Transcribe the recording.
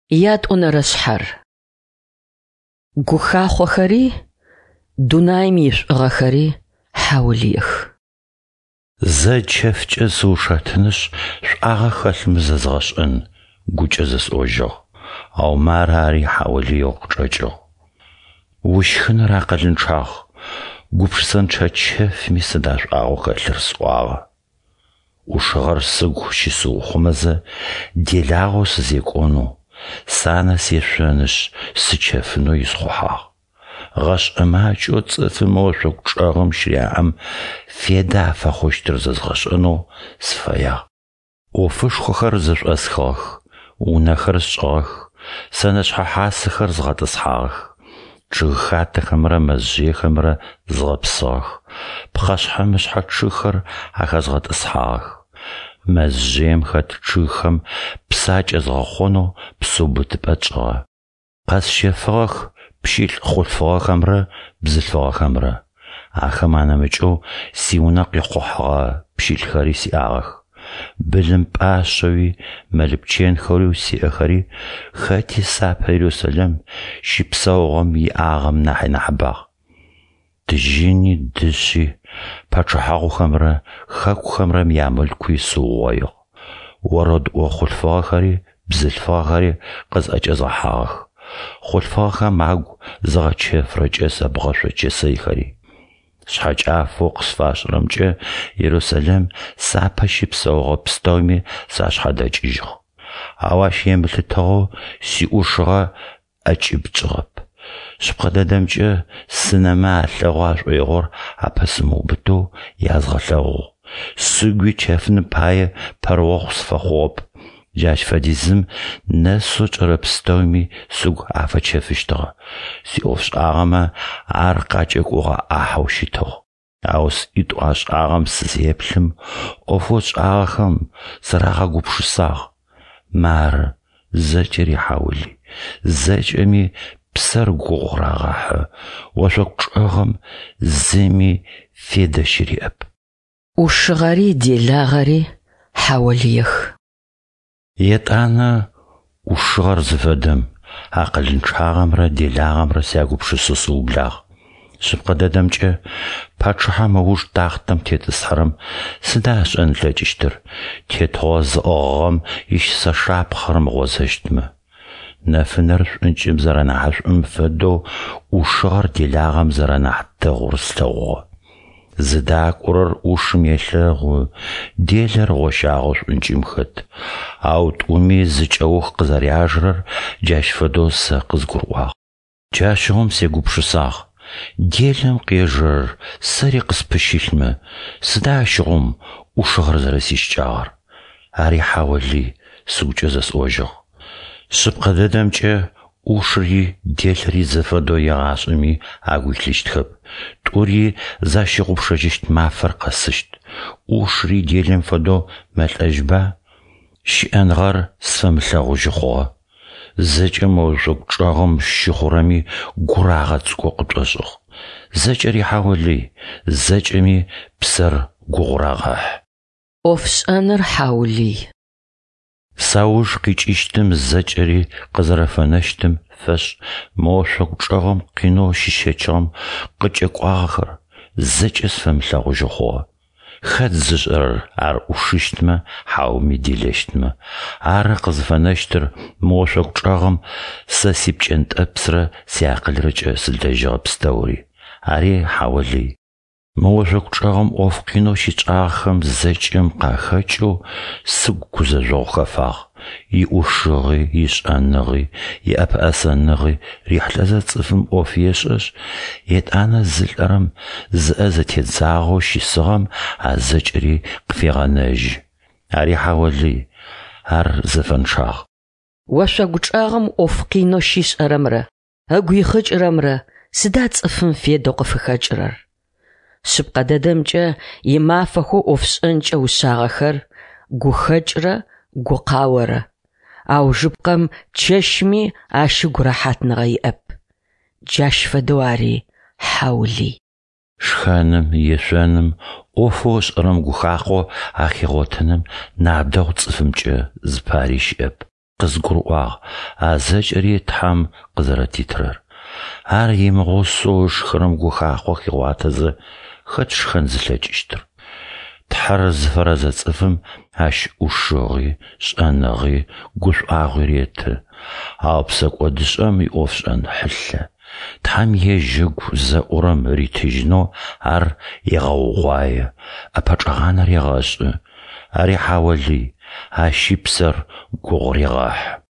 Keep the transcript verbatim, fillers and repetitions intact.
Ятӏонэрэ шъхьэр. Гухахъохэри дунаим ишӏугъэхэри хьаулыех. Зэ чэфкӏэ сыушэтынышъ, шӏуагъэ хэлъмэ зэзгъэшӏэн, гукӏэ зэсӏожьыгъ. Ау мары ари хьаулыеу къычӏэкӏыгъ. Ущхыныр акъылынчъагъ, гупшысэнчъэ чэфми сыда шӏуагъэу хэлъыр сӏуагъэ. Ӏушыгъэр сыгу щысыухъумэзэ, делагъэу сызекӏонэу, санэ сешъонышъ, сычэфынэу исхъухьагъ. Гъэшӏэ макӏэу цӏыфым ошъогу чӏэгъым щыряӏэм федэ афэхъущтыр зэзгъэшӏэнэу сыфэягъ. Ӏофышхохэр зэшӏосхыгъэх: унэхэр сшӏыгъэх, сэнэшъхьэ хьасэхэр згъэтӏысхьагъэх, чъыгхатэхэмрэ мэзжъыехэмрэ згъэпсыгъэх, пхъэшъхьэ-мышъхьэ чъыгхэр ахэзгъэтӏысхьагъэх. Мэзжъыем хэт чъыгхэм псы акӏэзгъэхъонэу псыубытыпӏэ тшӏыгъэ. Къэсщэфыгъэх пщылӏ хъулъфыгъэхэмрэ бзылъфыгъэхэмрэ. Ахэм анэмыкӏэу сиунэ къихъухьэгъэ пщылӏхэри сиӏагъэх. Былым пӏашъэуи, мэл-пчэнхэу сиӏэхэри хэти сапэ Ерусэлэм щыпсэугъэм иӏагъэм нахьи нахьыбагъ. Тыжьыни, дышъи, пачъыхьагъухэмрэ хэкухэмрэ ямылъкуи сыугъоигъ. Орэдыӏо хъулъфыгъэхэри бзылъфыгъэхэри къызӏэкӏэзгъэхьагъэх, хъулъфыгъэхэм агу зыгъэчэфырэ кӏэсэ бгъэшъо чэсэйхэри. Шъхьэкӏафэу къысфашӏырэмкӏэ Ерусэлэм сапэ щыпсэугъэ пстэуми сашъхьадэкӏыжьыгъ. Ау ащ емылъытыгъэу сиӏушыгъэ ӏэкӏыб тшӏыгъэп. Шъыпкъэ дэдэмкӏэ, сынэмэ алъэгъу ашӏоигъор апэсымыубытэу язгъэлъэгъугъ. Сыгуи чэфыным пае пэрыохъу сыфэхъугъэп. Джащ фэдизым нэсэу тшӏэрэ пстэуми сыгу афэчэфыщтыгъэ. Сиӏофшӏагъэмэ ар къакӏэкӏогъэ ӏахьэу щытыгъ. Ау сӏитӏу ашӏагъэм сызеплъым, ӏофэу сшӏагъэхэм сарагъэгупшысагъ. Мары, зэкӏэри хьаулый, зэкӏэми псэр гугъу рагъэхьы, ошъогу чӏэгъым зыми федэ щыриӏэп. Ӏушыгъэри делагъэри хьаулыех. Етӏанэ ӏушыгъэр зыфэдэм, акъылынчъагъэмрэ делагъэмрэ сягупшысэу сыублагъ. Шъыпкъэ дэдэмкӏэ, пачъыхьэм ыуж тахътэм тетӏысхьэрэм сыда ышӏэн ылъэкӏыщтыр, тетыгъо зыӏыгъыгъэм ищысэ шапхъэ рымыгъозэщтмэ? Нэфынэр шӏункӏым зэрэнахьышӏум фэдэу ӏушыгъэр делагъэм зэрэнахь дэгъур слъэгъугъэ. Зыдакӏорэр ӏушым елъэгъу, делэр гъощагъэу шӏункӏым хэт. Ау тӏуми зы кӏэух къызэряжэрэр джащ фэдэу сэ къызгурыӏуагъ. Джащыгъум сегупшысагъ: делэм къежэрэр сэри къыспыщылъмэ, сыда ащыгъум ӏушыгъэр зэрэсищыкӏагъэр? Ари хьаулый, сыгукӏэ зэсӏожьыгъ. Шъыпкъэ дэдэмкӏэ, ӏушыри делэри зэфэдэу егъашӏэми агу илъыщтхэп, тӏури защыгъупшэжьыщт мафэр къэсыщт. Ӏушыри делэм фэдэу мэлӏэжьба? Щыӏэныгъэр сфэмылъэгъужьы хъугъэ. Зэкӏэ мо ошъогу чӏэгъым щыхъурэми гур агъэцӏыкӏоу къытшӏошӏыгъ. Зэкӏэри хьаулый, зэкӏэми псэр гугъу рагъэхьы. Ӏофшӏэныр хьаулый. Сауж къикӏыщтым зэкӏэри къызэрэфэнэщтым фэшӏ мы ошъогу чӏэгъым къинэу щысщэчыгъэм къыкӏэкӏуагъэхэр зэкӏэ сфэмылъэгъужьы хъугъэ. Хэт зышӏэрэр ар ӏушыщтмэ, хьауми делэщтмэ? Ары къызыфэнэщтыр мы ошъогу чӏэгъым сэ сипкӏэнтӏэпсрэ сиакъылрэкӏэ сылэжьыгъэ пстэури. Ари хьаулый. Мы ошъогу чӏэгъым ӏоф къинэу щытшӏагъэхэм зэкӏэм къахэкӏэу сыгу гузэжъогъу хэфагъ. Иӏушыгъи, ишӏэныгъи, иӏэпэӏэсэныгъи рихьылӏэзэ цӏыфым ӏоф ешӏэшъ, етӏанэ зылӏэрэм, зыӏэ зэтедзагъэу щысыгъэм а зэкӏэри къыфегъэнэжьы. Ари хьаулый, ар зэфэнчъагъ. Ошъогу чӏэгъым ӏоф къинэу щишӏэрэмрэ ыгу ихъыкӏырэмрэ сыда цӏыфым федэу къыфыхэкӏырэр? Шъыпкъэ дэдэмкӏэ, имафэхэу ӏофшӏэнкӏэ ушъагъэхэр гухэкӏрэ гукъаорэ. Аужыпкъэм чэщми ащ ыгу рэхьатныгъэ иӏэп. Джащ фэдэу ари хьаулый. Шхэным, ешъоным, ӏофэу ышӏэрэм гухахъо ахигъотэным нахь дэгъу цӏыфымкӏэ зыпари щыӏэп. Къызгурыӏуагъ, а зэкӏэри Тхьэм къызэрэтитырэр. Ар имыгъусэу ышхырэм гухахъо хигъуатэзэ, хэт шхэн зылъэкӏыщтыр? Тхьэр зыфэрэзэ цӏыфым Ащ ӏушыгъи, шӏэныгъи, гушӏуагъуи реты, ау псэкӏодышӏэм иӏофшӏэн хьылъэ. Тхьэм ежь ыгу зэӏурэм ритыжьынэу ар егъэугъуае, ӏэпэчӏэгъанэ регъэшӏы. Ари хьаолый, ащи псэр гугъу регъэхьы.